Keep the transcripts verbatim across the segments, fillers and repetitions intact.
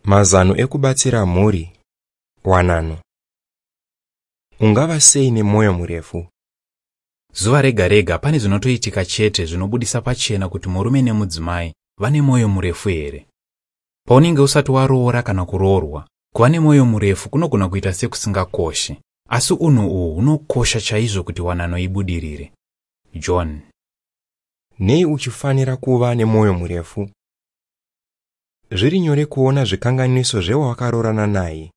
Mazano ekubatsira mhuri. Wanano. Ungava sei nemwoyo murefu? Zuva rega rega pane zvinotoitika chete zvinobudisa pachena kuti murume nemudzimai vane mwoyo murefu here. Paunenge usati waroora kana kuroorwa, kuva nemwoyo murefu kunogona kuita sekusingakoshi, asi unhu uhu hunokosha chaizvo kuti wanano ibudirire. John. Nei uchifanira kuva nemwoyo murefu? Zviri nyore kuona zvikanganiso zvewawakaroorana naye.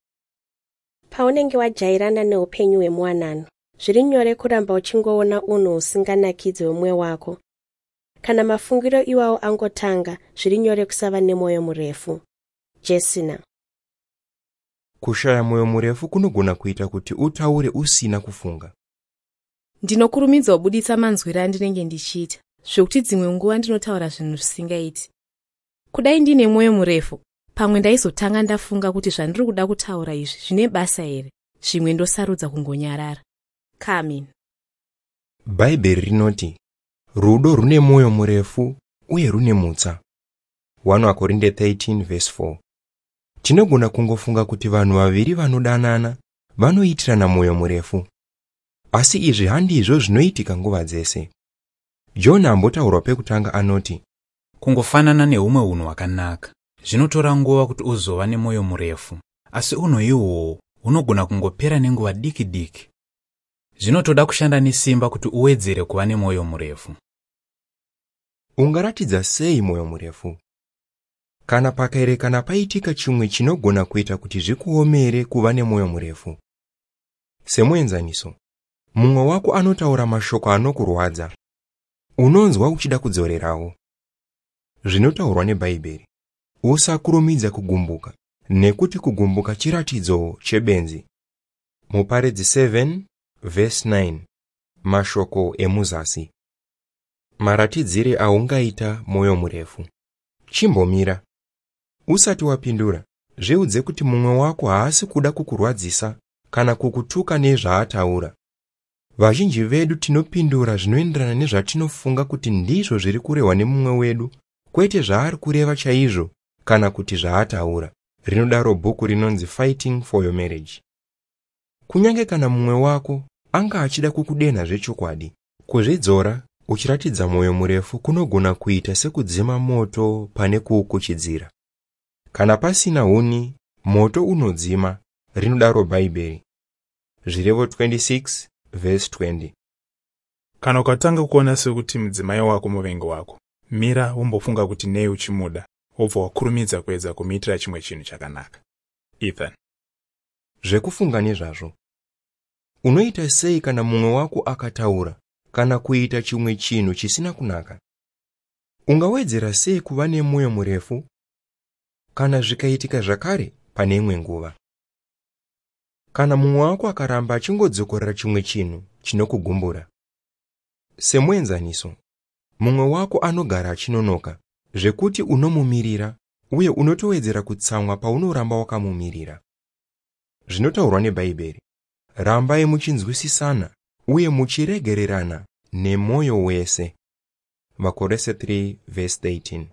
Paunenge wajairana neupenyu hwemuwanano, zviri nyore kuramba uchingoona unhu husinganakidzi hwemumwe wako. Kana mafungiro iwawo angotanga, zviri nyore kusava nemwoyo murefu. Jesina. Kushaya mwoyo murefu kunogona kuita kuti utaure usina kufunga. Ndinokurumidza kubudisa manzwiro andinenge ndichiita, zvekuti dzimwe nguva ndinotaura zvinhu zvisingaiti. Kudai ndine mwoyo murefu, pamwe ndaizotanga ndafunga kuti zvandiri kuda kutaura izvi zvine basa here, zvimwe ndosarudza kungonyarara. Carmen. Bhaibheri rinoti rudo rune mwoyo murefu uye rune mutsa. one Korinde thirteen verse four. Tinogona kungofunga kuti vanhu vaviri vanodanana vanoitirana mwoyo murefu, asi izvi handizvo zvinoitika nguva dzese. John ambotaurwa pekutanga anoti, kungofanana neumwe unhu hwakanaka, zvinotora nguva kuti uzova nemwoyo murefu, asi unhu ihwohwo hunogona kungopera nenguva diki diki. Zvinotoda kushanda nesimba kuti uwedzere kuva nemwoyo murefu. Ungaratidza sei mwoyo murefu? Kana pakaerekana paitika chimwe chinogona kuita kuti zvikuomere kuva nemwoyo murefu. Semuenzaniso, mumwe wako anotaura mashoko anokurwadza. Unonzwa uchida kudzorerawo. Zvinotaurwa neBhaibheri: usakurumidza kugumbuka, nekuti kugumbuka chiratidzo chebenzi. Muparidzi seven verse nine. Mashoko emuzasi. Maratidzire aungaita mwoyo murefu. Chimbomira. Usati wapindura, zviudze kuti mumwe wako haasi kuda kukurwadzisa kana kukutuka nezvaataura. Vazhinji vedu tinopindura zvinoenderana nezvatinofunga kuti ndizvo zviri kurehwa nemumwe wedu, kwete zvaari kureva chaizvo kana kuti zvaataura. Rinodaro bhuku rinonzi Fighting for Your Marriage. Kunyange kana mumwe wako anga achida kukudenha zvechokwadi, kuzvidzora uchiratidza mwoyo murefu kunogona kuita sekudzima moto pane kuukuchidzira. Kana pasina huni, moto unodzima, rinodaro Bhaibheri. Zvirevo twenty-six verse twenty. Kana ukatanga kuona sekuti mudzimai wako muvengi wako, mira wombofunga kuti nei uchimuda, wobva wakurumidza kuedza kumuitira chimwe chinhu chakanaka. Ethan. Zvekufunga nezvazvo. Unoita sei kana mumwe wako akataura kana kuita chimwe chinhu chisina kunaka? Ungawedzera sei kuva nemwoyo murefu kana zvikaitika zvakare pane imwe nguva? Kana mumwe wako akaramba achingodzokorera chimwe chinhu chinokugumbura. Semuenzaniso, mumwe wako anogara achinonoka zvekuti unomumirira uye unotowedzera kutsamwa paunoramba wakamumirira. Zvinotaurwa neBhaibheri: rambai muchinzwisisana uye muchiregererana nemwoyo wese. Vakorose three verse thirteen.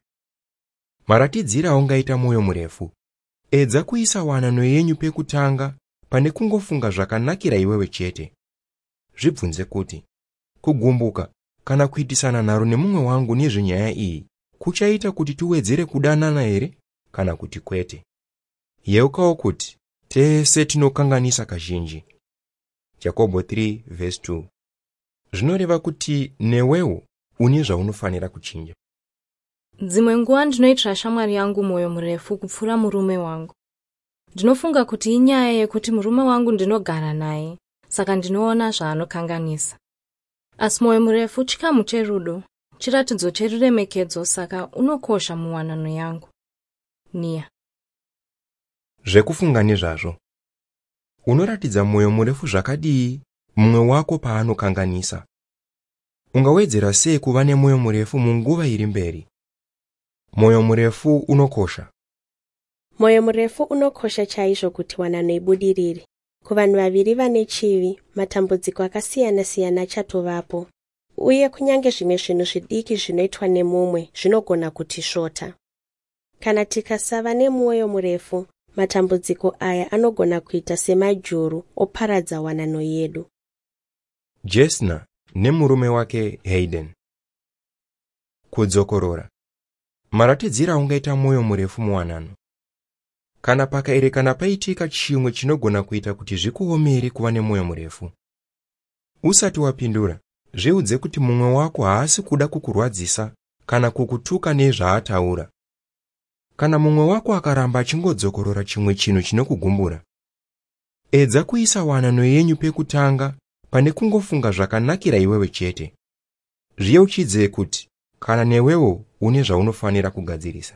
Maratidziro aungaita mwoyo murefu. Edza kuisa wanano yenyu pekutanga pane kungofunga zvakanakira iwewe chete. Zvibvunze kuti, kugumbuka kana kuitisana nharo nemumwe wangu nezvenyaya iyi kuchaita kuti tiwedzere kudanana here kana kuti kwete? Yeukawo kuti tese tinokanganisa kazhinji. Jakobho three verse two. Zvinoreva kuti newewo une zvaunofanira kuchinja. Dzimwe nguva ndinoitira shamwari yangu mwoyo murefu kupfuura murume wangu. Ndinofunga kuti inyaya yekuti murume wangu ndinogara naye, saka ndinoona zvaanokanganisa. Asi mwoyo murefu chikamu cherudo, chiratidzo cheruremekedzo, saka unokosha muwanano yangu. Nia. Zvekufunga nezvazvo. Unoratidza mwoyo murefu zvakadii mumwe wako paanokanganisa? Ungawedzera sei kuva nemwoyo murefu munguva iri mberi? Mwoyo murefu unokosha. Mwoyo murefu unokosha chaizvo kuti wanano ibudirire. Kuvanhu vaviri vane chivi, matambudziko akasiyana-siyana achatovapo. Uye kunyange zvimwe zvinhu zvidiki zvinoitwa nemumwe zvinogona kutisvota. Kana tikasava nemwoyo murefu, matambudziko aya anogona kuita semajuru oparadza wanano yedu. Jesna nemurume wake Hayden. Kudzokorora. Maratidziro aungaita mwoyo murefu muwanano. Kana pakaerekana paitika chimwe chinogona kuita kuti zvikuomere kuva nemwoyo murefu. Usati wapindura, zviudze kuti mumwe wako haasi kuda kukurwadzisa kana kukutuka nezvaataura. Kana mumwe wako akaramba achingodzokorora chimwe chinhu chinokugumbura, edza kuisa wanano yenyu pekutanga pane kungofunga zvakanakira iwewe chete. Zviyeuchidze kuti kana newewo une zvaunofanira kugadzirisa.